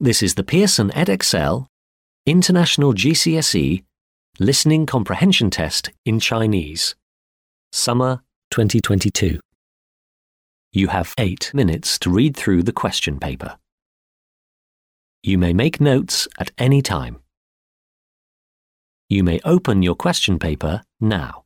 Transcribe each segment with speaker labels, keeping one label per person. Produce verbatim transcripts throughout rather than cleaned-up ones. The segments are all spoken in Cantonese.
Speaker 1: This is the Pearson Edexcel International G C S E Listening Comprehension Test in Chinese, Summer twenty twenty-two. You have eight minutes to read through the question paper. You may make notes at any time. You may open your question paper now.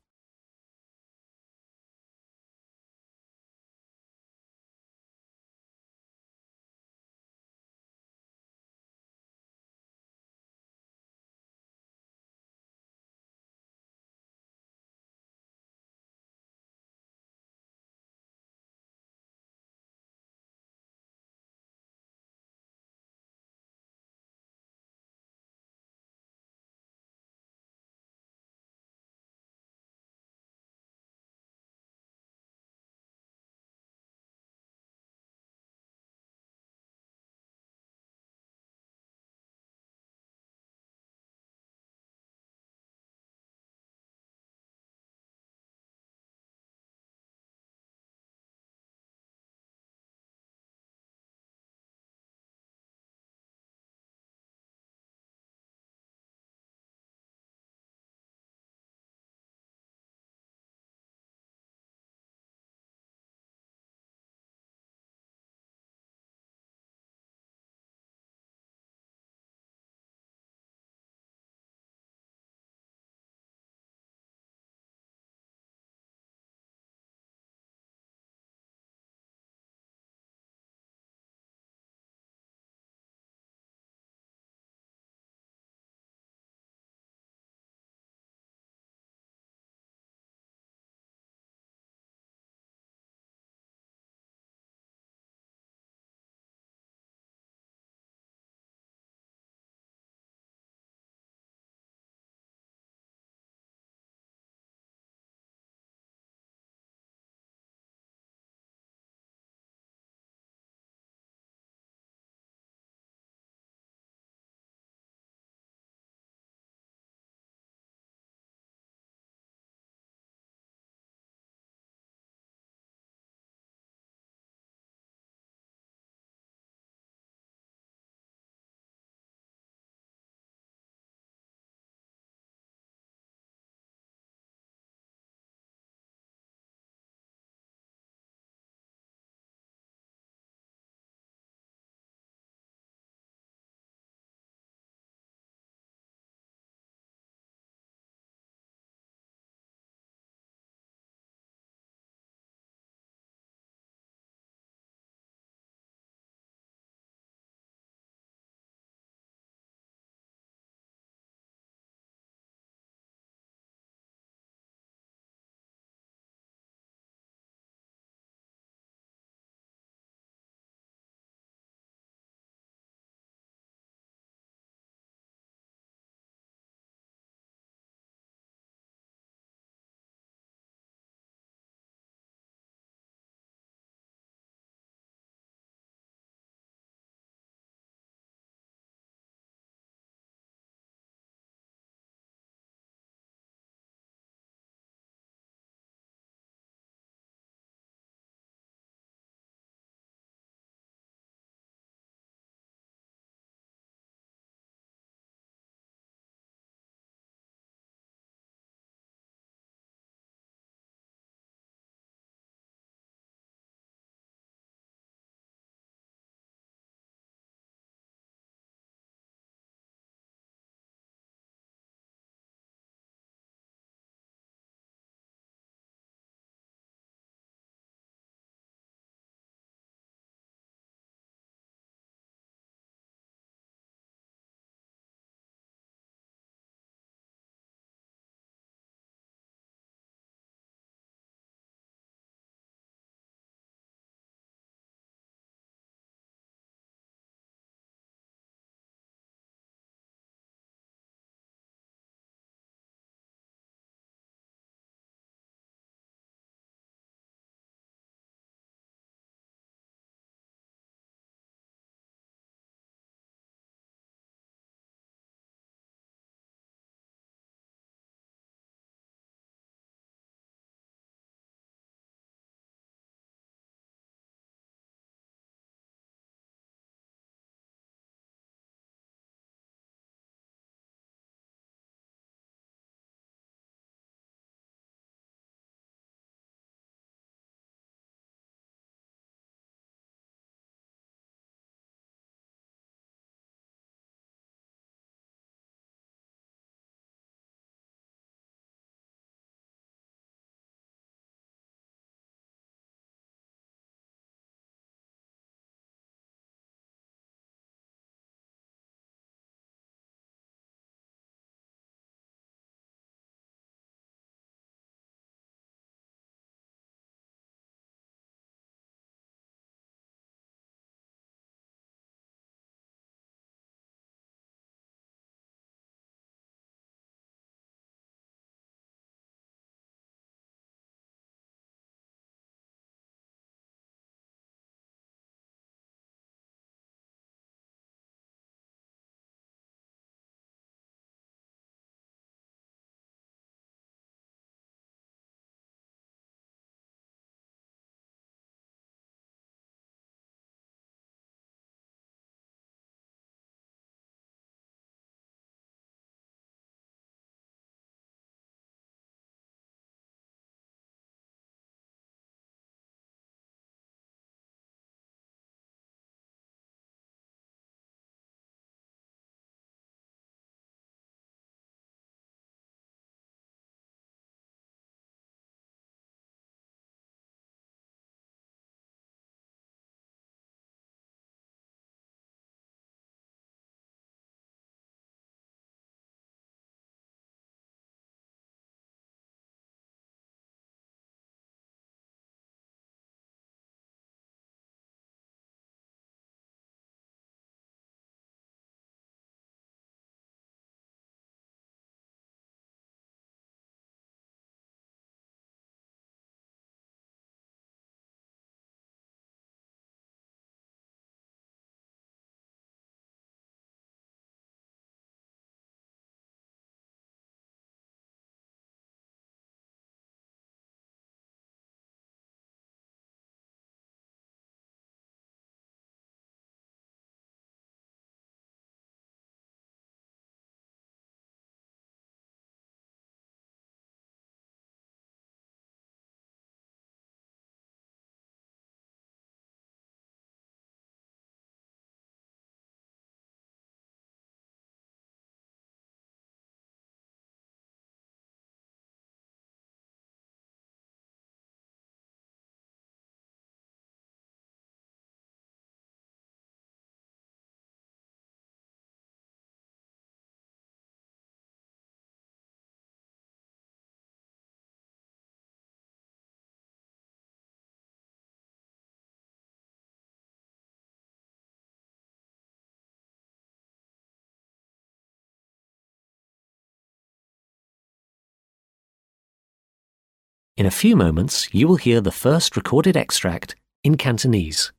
Speaker 1: In a few moments, you will hear the first recorded extract in Cantonese.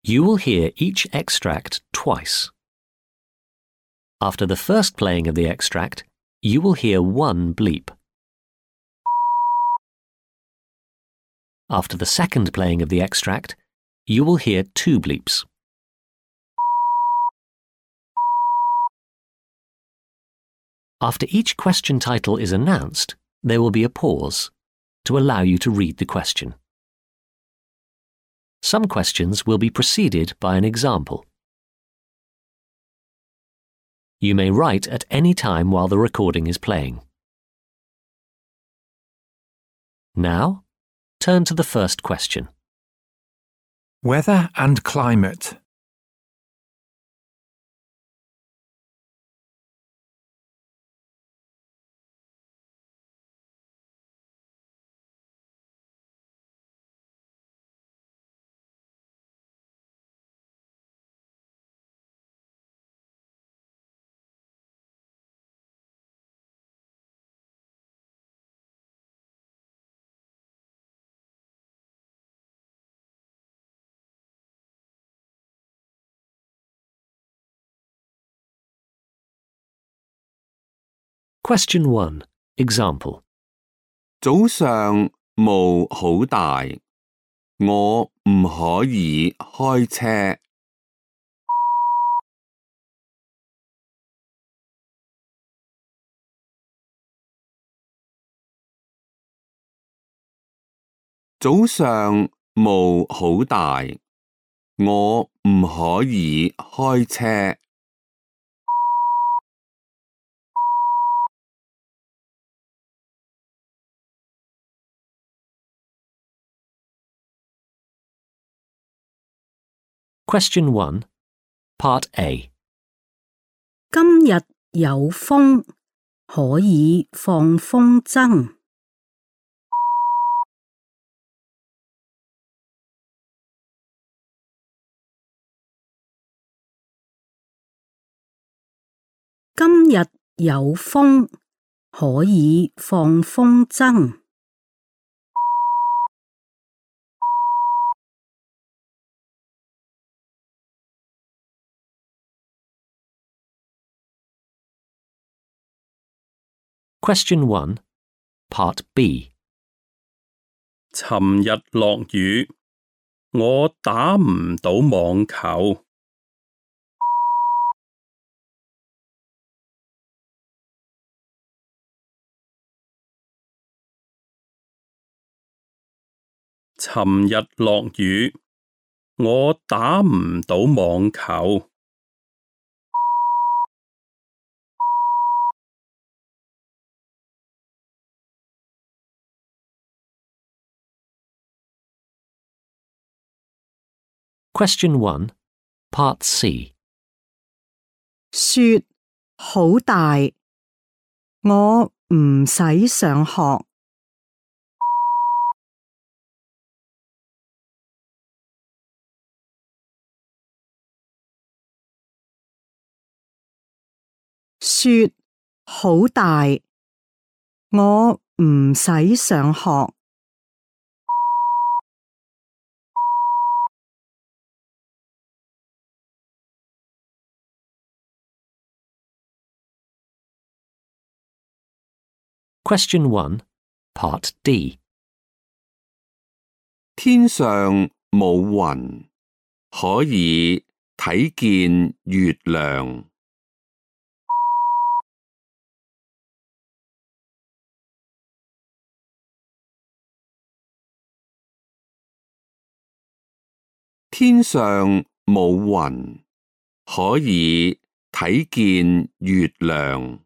Speaker 1: You will hear each extract twice. After the first playing of the extract, you will hear one bleep. After the second playing of the extract, you will hear two bleeps. After each question title is announced, there will be a pause to allow you to read the question. Some questions will be preceded by an example. You may write at any time while the recording is playing. Now, turn to the first question.
Speaker 2: Weather and climate.
Speaker 1: Question one. Example.
Speaker 3: 早上霧好大，我唔可以開車。早上霧好大，我唔可以開車。
Speaker 1: Question one. Part A.
Speaker 4: 今日有風，可以放風箏。今日有風，可以放風箏。
Speaker 1: Question one. Part B.
Speaker 5: 尋日落雨，我打唔到網球。尋日落雨，我打唔到網球。
Speaker 1: Question one. Part C.
Speaker 4: 雪好大，我唔使上學。雪好大，我唔使上學。
Speaker 1: Question one. Part D.
Speaker 3: 天上冇雲，可以睇見月亮。天上冇雲，可以睇見月亮。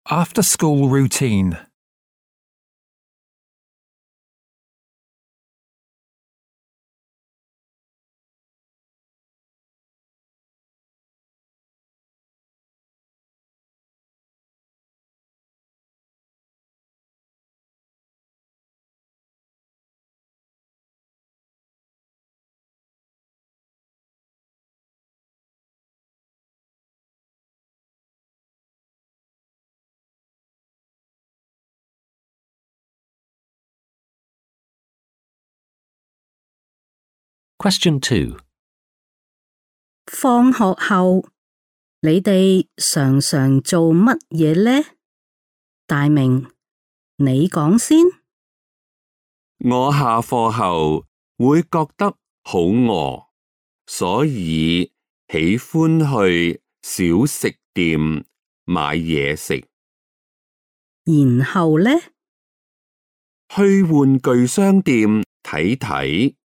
Speaker 2: After school routine.
Speaker 1: Question two.
Speaker 4: 放學後，你哋常常做乜嘢呢？大明，你講先。
Speaker 3: 我下課後會覺得好餓，所以喜歡去小食店買嘢食。
Speaker 4: 然後呢？
Speaker 3: 去玩具商店睇睇，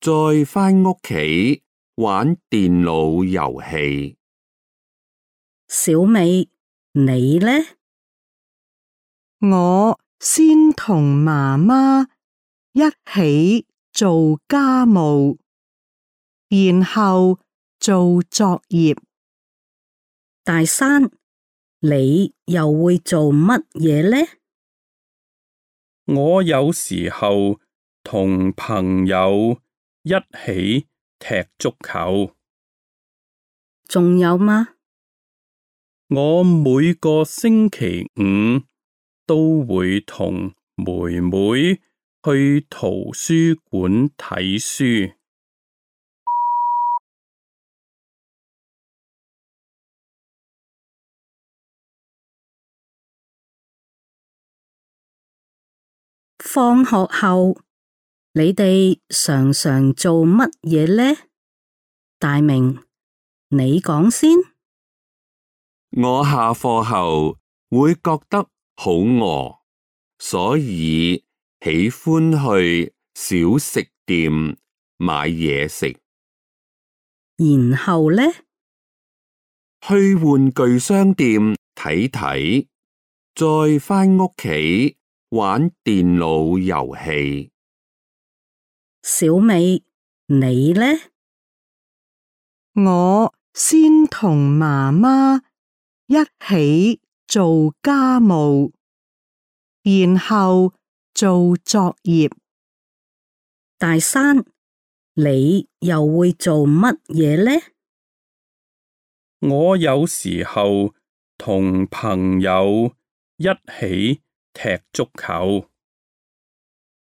Speaker 3: 再返屋企玩電腦遊戲。
Speaker 4: 小美，你呢？
Speaker 6: 我先同媽媽一起做家務，然後做作業。
Speaker 4: 大山，你又會做乜嘢呢？
Speaker 5: 我有時候同朋友一起踢足球。
Speaker 4: 仲有嗎？
Speaker 5: 我每個星期五都會同妹妹去圖書館睇書。
Speaker 4: 放學後，你哋常常做乜嘢呢？大明，你講先。
Speaker 3: 我下課後會覺得好餓，所以喜歡去小食店買嘢食。
Speaker 4: 然後呢？
Speaker 3: 去玩具商店睇睇，再返屋企玩電腦遊戲。
Speaker 4: 小美，你呢？
Speaker 6: 我先同媽媽一起做家務，然後做作業。
Speaker 4: 大山，你又會做乜嘢呢？
Speaker 5: 我有時候同朋友一起踢足球。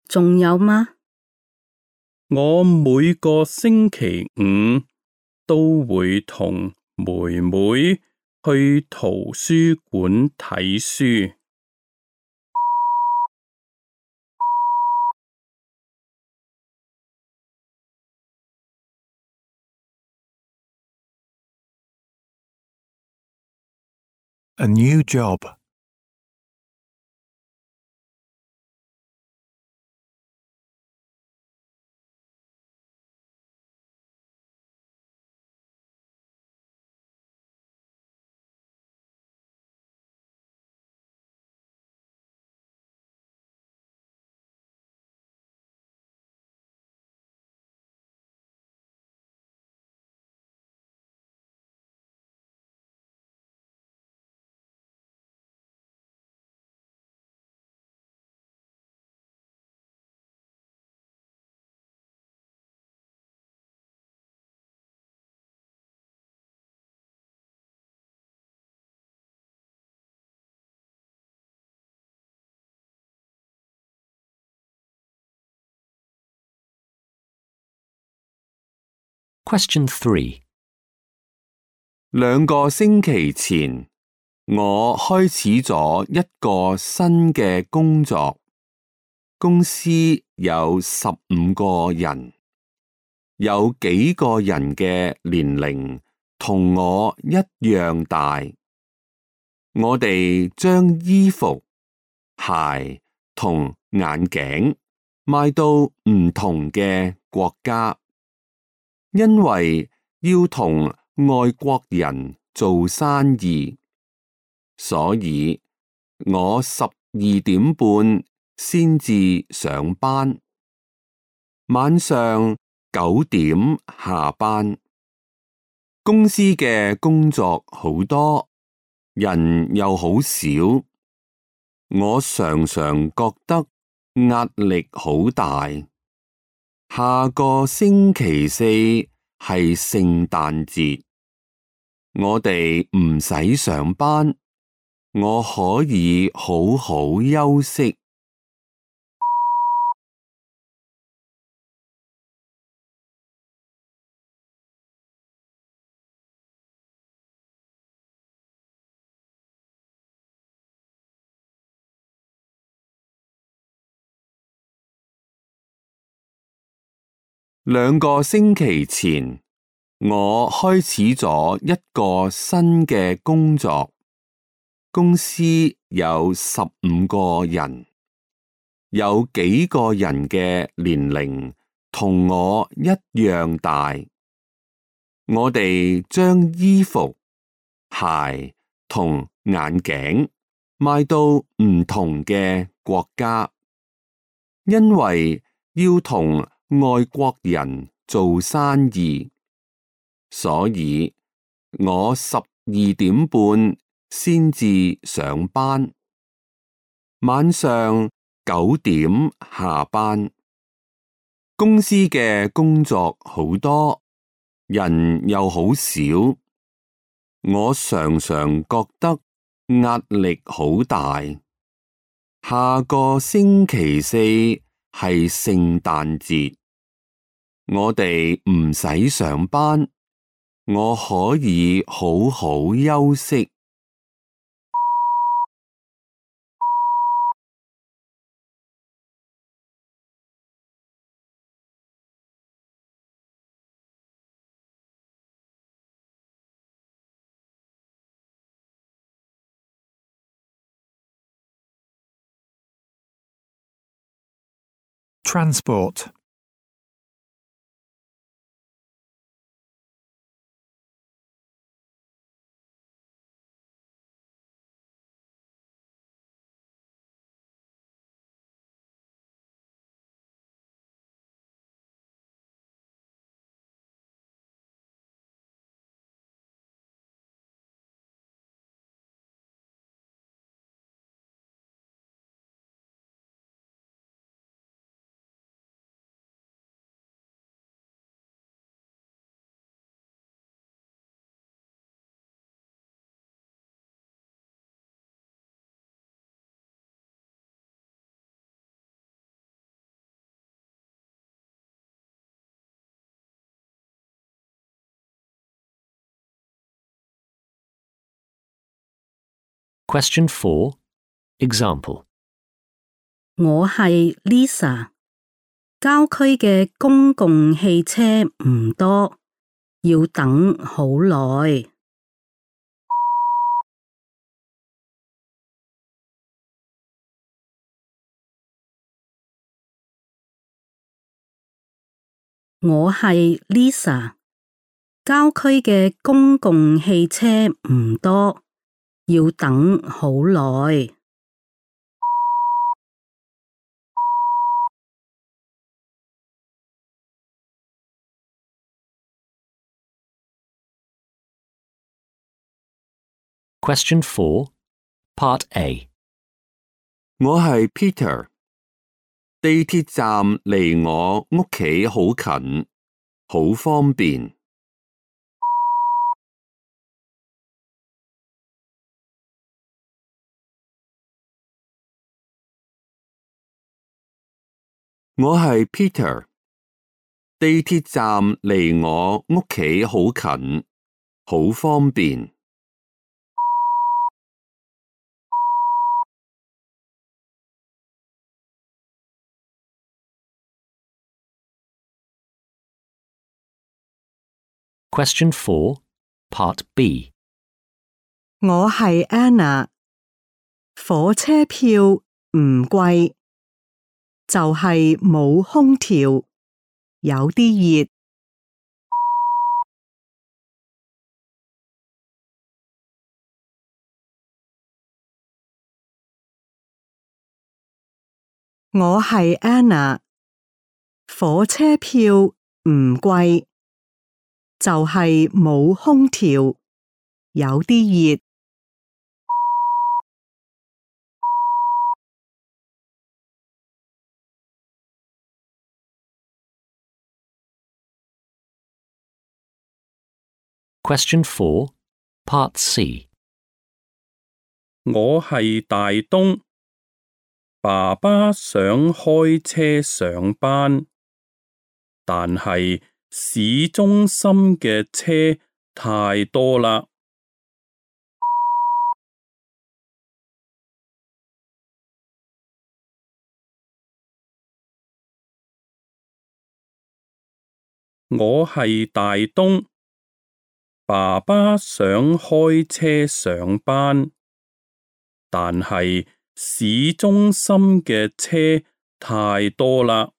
Speaker 4: 仲有嗎？
Speaker 5: 我每個星期五都會同妹妹去圖書館睇書。
Speaker 2: A new job.
Speaker 1: Question three.
Speaker 3: 兩個星期前，我開始咗一個新嘅工作，公司有十五個人，有幾個人嘅年齡同我一樣大。我哋將衣服、鞋同眼鏡賣到唔同嘅國家，因為要同外國人做生意，所以我十二點半先至上班，晚上九點下班。公司嘅工作好多，人又好少，我常常覺得壓力好大。下個星期四係聖誕節，我哋唔使上班，我可以好好休息。兩個星期前，我開始咗一個新嘅工作，公司有十五個人，有幾個人嘅年齡同我一樣大。我哋將衣服、鞋同眼鏡賣到唔同嘅國家，因為要同外國人做生意，所以我十二點半先至上班，晚上九點下班。公司嘅工作好多，人又好少，我常常覺得壓力好大。下個星期四係聖誕節，我哋唔使上班，我可以好好休息。
Speaker 2: Transport.
Speaker 1: Question four. Example.
Speaker 4: 我係 Lisa， 郊區嘅公共汽車唔多，要等好耐。我係 Lisa， 郊區嘅公共汽車唔多，要等好耐。
Speaker 1: Question four. Part A.
Speaker 3: 我係 Peter， 地鐵站離我屋企好近，好方便。我係 Peter， 地鐵站離我屋企好近，好方便。
Speaker 1: Question four. Part B.
Speaker 6: 我係 Anna， 火車票唔貴，就係冇空調，有啲熱。我係 Anna， 火車票唔貴，就係冇空調，有啲熱。
Speaker 1: Question four. Part C.
Speaker 5: 我係大東，爸爸想開車上班，但係市中心嘅車太多啦。我係大東，爸爸想開車上班，但係市中心嘅車太多啦。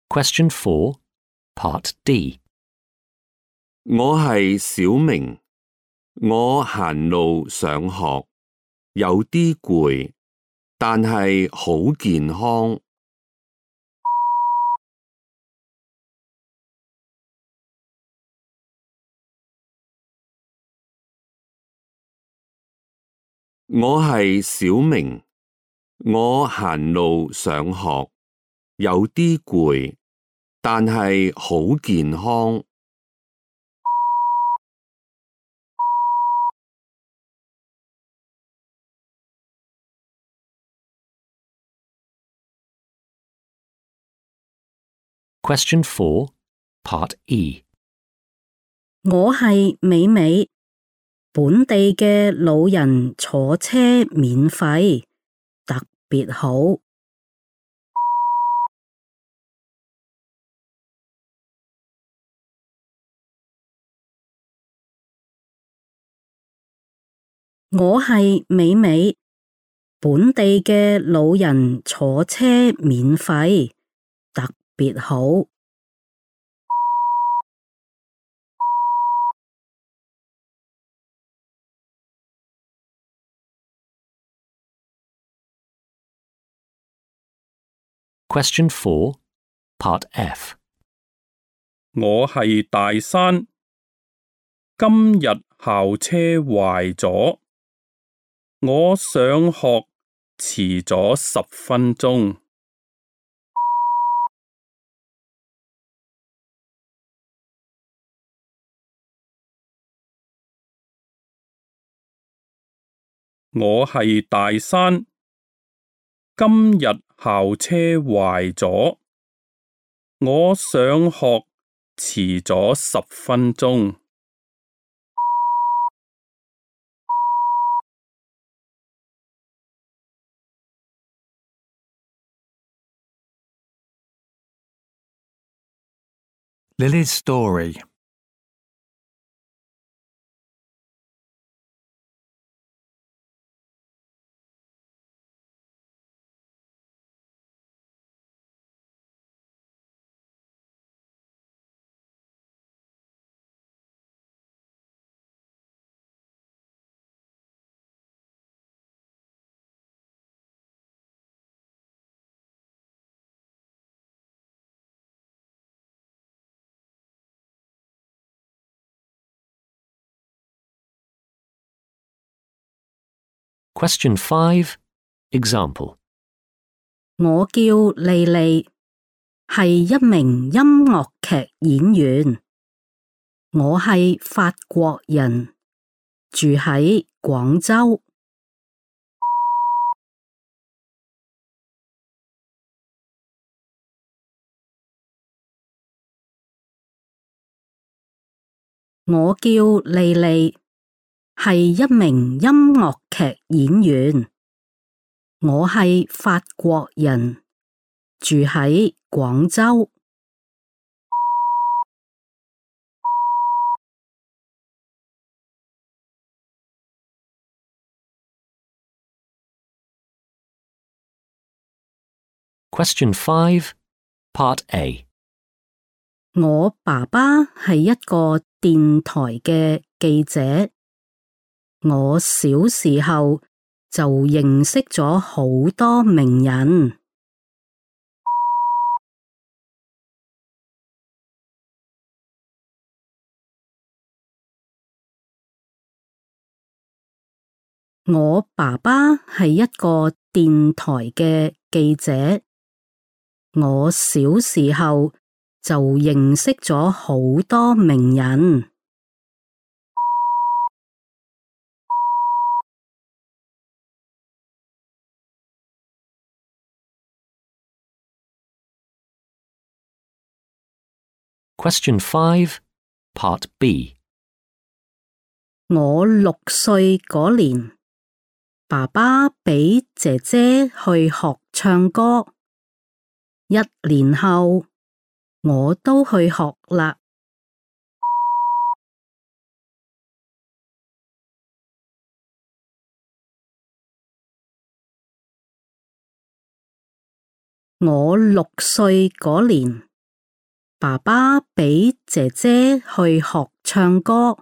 Speaker 1: Question four, Part D.
Speaker 3: 我係小明，我行路上學，有啲攰，但係好健康。我係小明，我行路上學，有啲攰，但係好健康。
Speaker 1: Question four, Part E.
Speaker 4: 我係美美，本地嘅老人坐車免費，特別好。我係美美，本地嘅老人坐車免費，特別好。
Speaker 1: Question four, Part F.
Speaker 5: 我係大山，今日校車壞咗，我上學遲咗十分鐘。我係大山，今日校車壞咗，我上學遲咗十分鐘。
Speaker 2: Lily's story.
Speaker 1: Question five, Example.
Speaker 4: 我叫莉莉，係一名音樂劇演員。我係法國人，住喺廣州。我叫莉莉，係一名音樂劇演員。我係法國人，住喺廣州。
Speaker 1: Question five, Part A.
Speaker 4: 我爸爸係一個電台嘅記者。我小時候就認識咗好多名人。我爸爸係一個電台嘅記者。我小時候就認識咗好多名人。
Speaker 1: Question five, Part B.
Speaker 4: 我六歲嗰年，爸爸俾姐姐去學唱歌，一年後我都去學啦。我六歲嗰年，爸爸俾姐姐去學唱歌，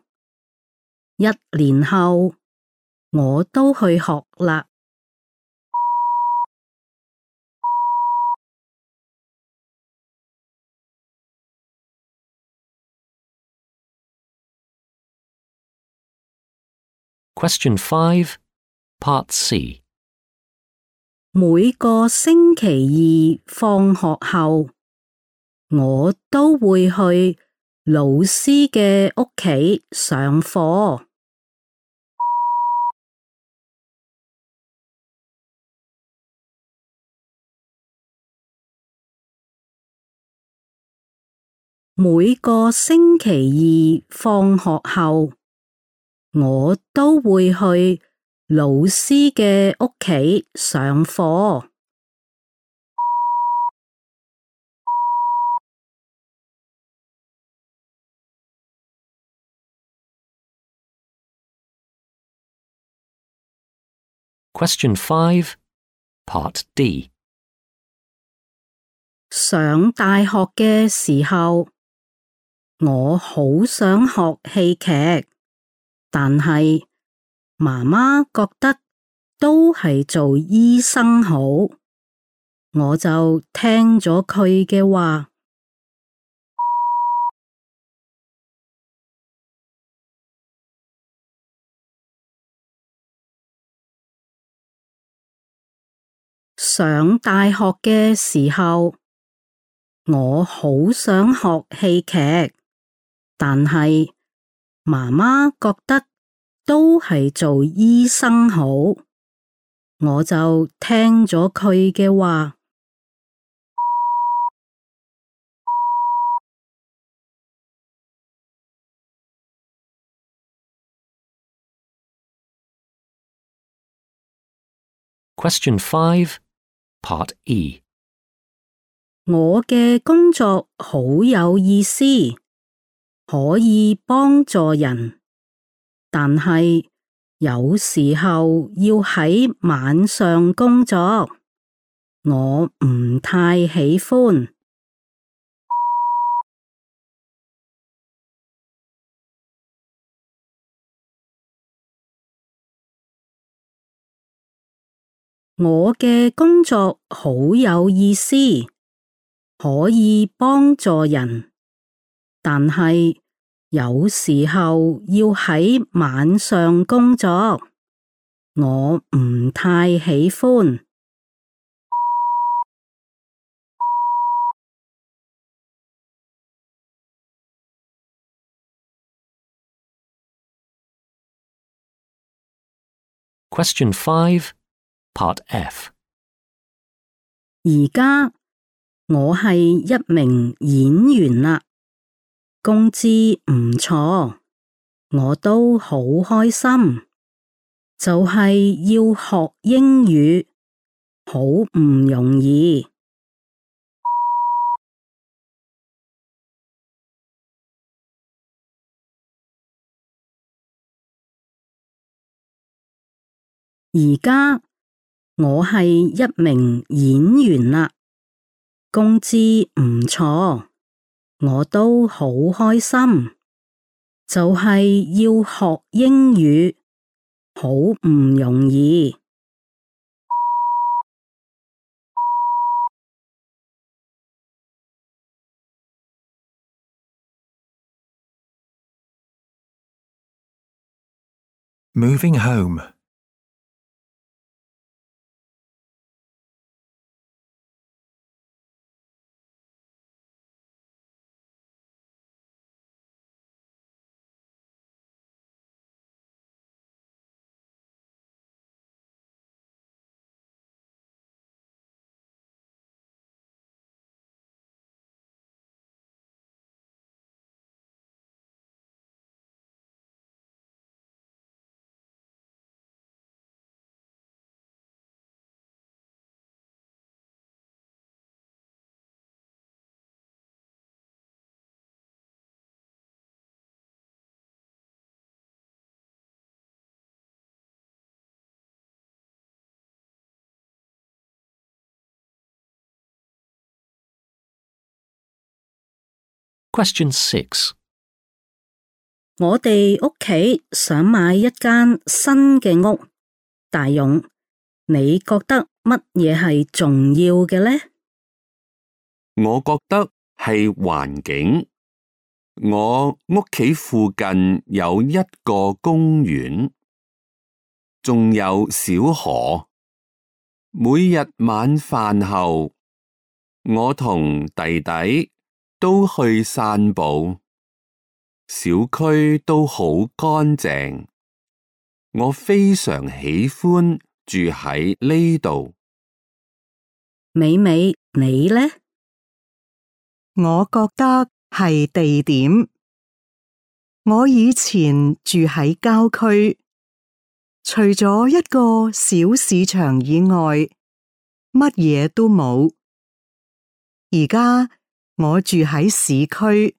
Speaker 4: 一年後我都去學啦。
Speaker 1: Question five, Part C.
Speaker 4: 每個星期二放學後，我都會去老師嘅屋企上課。每個星期二放學後，我都會去老師嘅屋企上課。
Speaker 1: Question five, Part D.
Speaker 4: 上大學嘅時候，我好想學戲劇，但係媽媽覺得都係做醫生好，我就聽咗佢嘅話。上大學嘅時候，我好想學戲劇，但係媽媽覺得都係做醫生好，我就聽咗佢嘅話。
Speaker 1: Question five, Part E.
Speaker 4: 我嘅工作好有意思，可以幫助人，但係有時候要喺晚上工作，我唔太喜歡。我嘅工作好有意思，可以幫助人，但係有時候要喺晚上工作，我唔太喜歡。
Speaker 1: Question five, Part F.
Speaker 4: 而家我係一名演員啦，工資唔錯，我都好開心。就係要學英語，好唔容易。而家我係一名演員啦，工資唔錯，我都好開心。就係要學英語，好唔容易。
Speaker 2: Moving home.
Speaker 1: Question six.
Speaker 4: 我哋屋企想買一間新嘅屋，大勇，你覺得乜嘢係重要嘅呢？
Speaker 3: 我覺得係環境。我屋企附近有一個公園，仲有小河。每日晚飯後，我同弟弟都去散步。小區都好乾淨，我非常喜歡住喺呢度。
Speaker 4: 美美，你呢？
Speaker 6: 我覺得係地點。我以前住喺郊區，除咗一個小市場以外，乜嘢都冇。而家我住喺市區，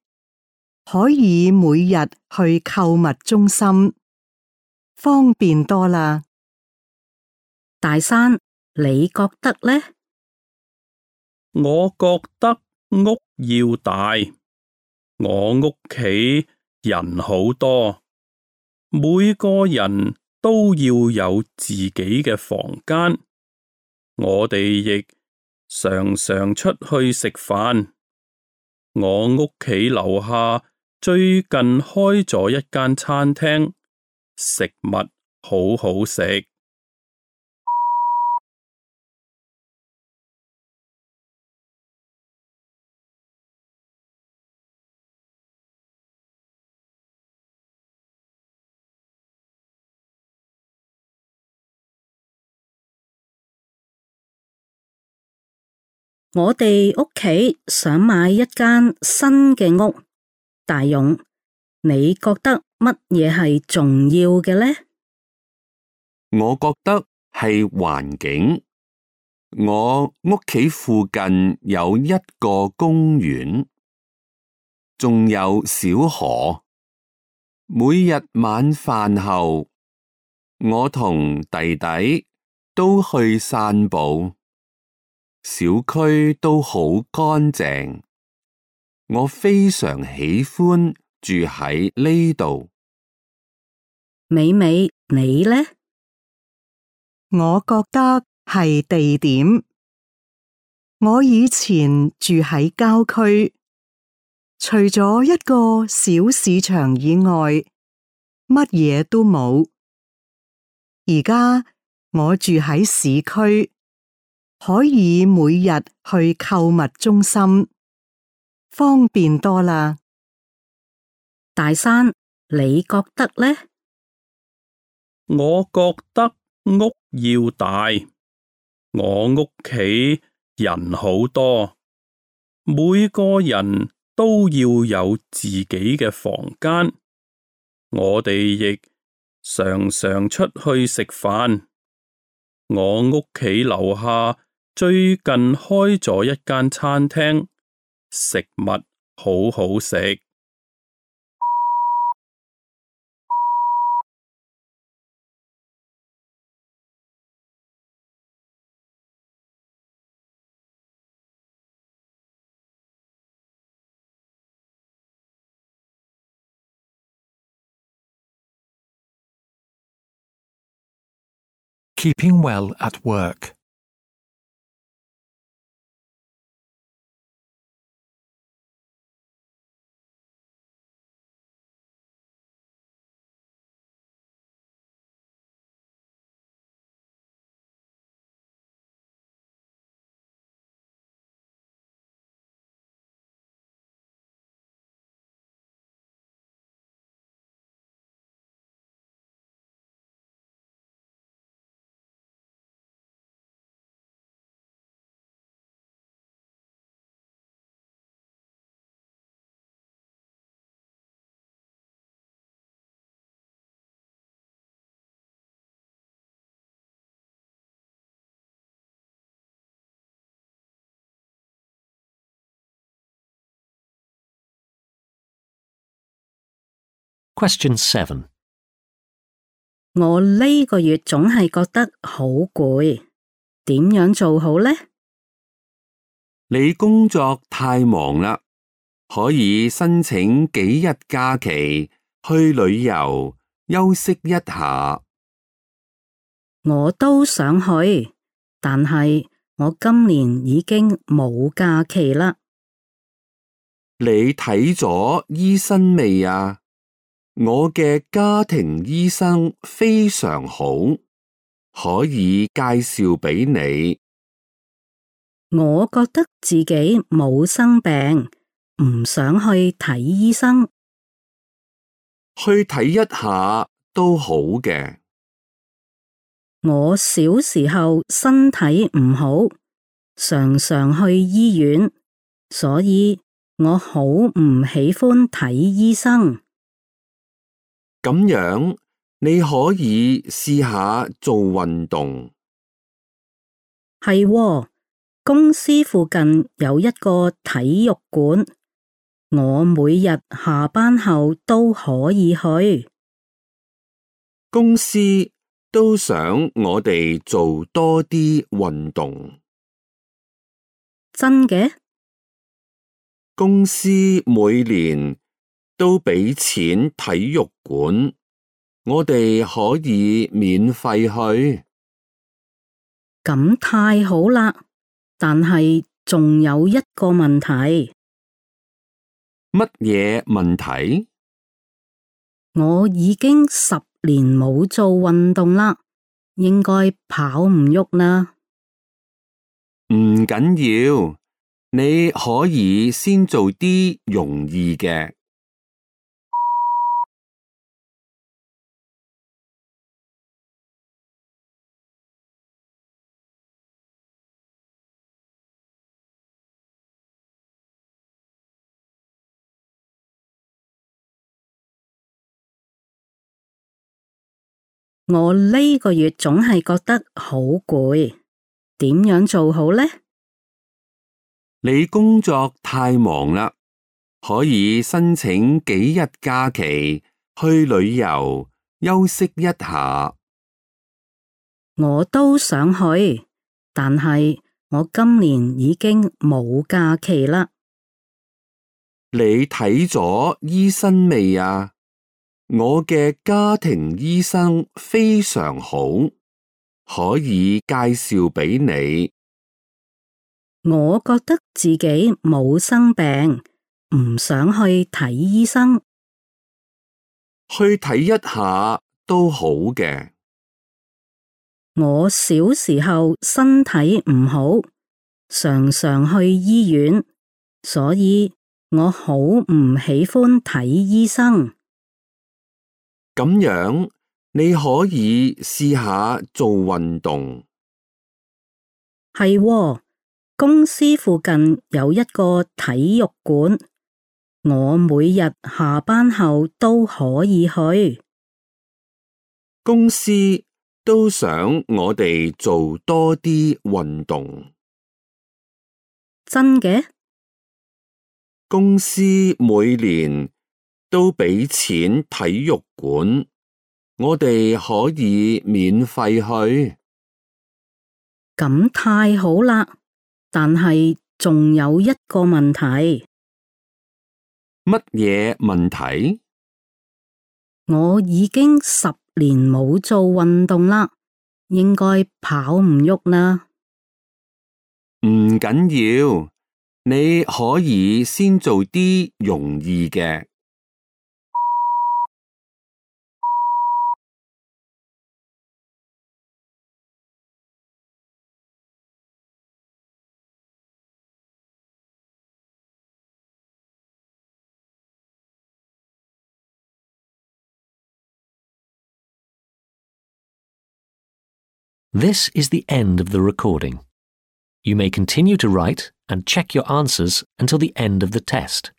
Speaker 6: 可以每日去購物中心，方便多啦。
Speaker 4: 大山，你覺得呢？
Speaker 5: 我覺得屋要大。我屋企人好多，每個人都要有自己嘅房間。我哋亦常常出去食飯。我屋企樓下最近開咗一間餐廳，食物好好食。
Speaker 4: 我哋屋企想買一間新嘅屋，大勇，你覺得乜嘢係重要嘅呢？
Speaker 3: 我覺得係環境。我屋企附近有一個公園，仲有小河。每日晚飯後，我同弟弟都去散步。小區都好乾淨，我非常喜歡住喺呢度。
Speaker 4: 美美，你呢？
Speaker 6: 我覺得係地點。我以前住喺郊區，除咗一個小市場以外，乜嘢都冇。而家我住喺市區，可以每日去購物中心，方便多啦。
Speaker 4: 大山，你覺得呢？
Speaker 5: 我覺得屋要大。我屋企人好多，每個人都要有自己嘅房間。我哋亦常常出去食飯。我屋企樓下最近開咗一間餐廳，食物好好食。
Speaker 2: Keeping well at work.
Speaker 1: Question seven.
Speaker 4: 我呢個月總係覺得好攰，點樣做好呢？
Speaker 3: 你工作太忙啦，可以申請幾日假期去旅遊休息一下。
Speaker 4: 我都想去，但係我今年已經冇假期啦。
Speaker 3: 你睇咗醫生未啊？我嘅家庭醫生非常好，可以介紹俾你。
Speaker 4: 我覺得自己冇生病，唔想去睇醫生。
Speaker 3: 去睇一下都好嘅。
Speaker 4: 我小時候身體唔好，常常去醫院，所以我好唔喜歡睇醫生。
Speaker 3: 咁樣你可以試下做運動。
Speaker 4: 係喎，公司附近有一個體育館，我每日下班後都可以去。
Speaker 3: 公司都想我哋做多啲運動。
Speaker 4: 真嘅？
Speaker 3: 公司每年都俾錢體育館，我哋可以免費去。
Speaker 4: 咁太好啦，但係仲有一個問題。
Speaker 3: 乜嘢問題？
Speaker 4: 我已經十年冇做運動啦，應該跑唔喐啦。
Speaker 3: 唔緊要，你可以先做啲容易嘅。
Speaker 4: 我呢個月總係覺得好攰，點樣做好呢？
Speaker 3: 你工作太忙啦，可以申請幾日假期去旅遊休息一下。
Speaker 4: 我都想去，但係我今年已經冇假期啦。
Speaker 3: 你睇咗醫生未啊？我嘅家庭醫生非常好，可以介紹俾你。
Speaker 4: 我覺得自己冇生病，唔想去睇醫生。
Speaker 3: 去睇一下都好嘅。
Speaker 4: 我小時候身體唔好，常常去醫院，所以我好唔喜歡睇醫生。
Speaker 3: 咁樣你可以試下做運動。
Speaker 4: 係喎，公司附近有一個體育館，我每日下班後都可以去。
Speaker 3: 公司都想我哋做多啲運動。
Speaker 4: 真嘅？
Speaker 3: 公司每年都俾錢體育館，我哋可以免費去。
Speaker 4: 咁太好啦，但係仲有一個問題。
Speaker 3: 乜嘢問題？
Speaker 4: 我已經十年冇做運動啦，應該跑唔喐啦。
Speaker 3: 唔緊要，你可以先做啲容易嘅。
Speaker 1: This is the end of the recording. You may continue to write and check your answers until the end of the test.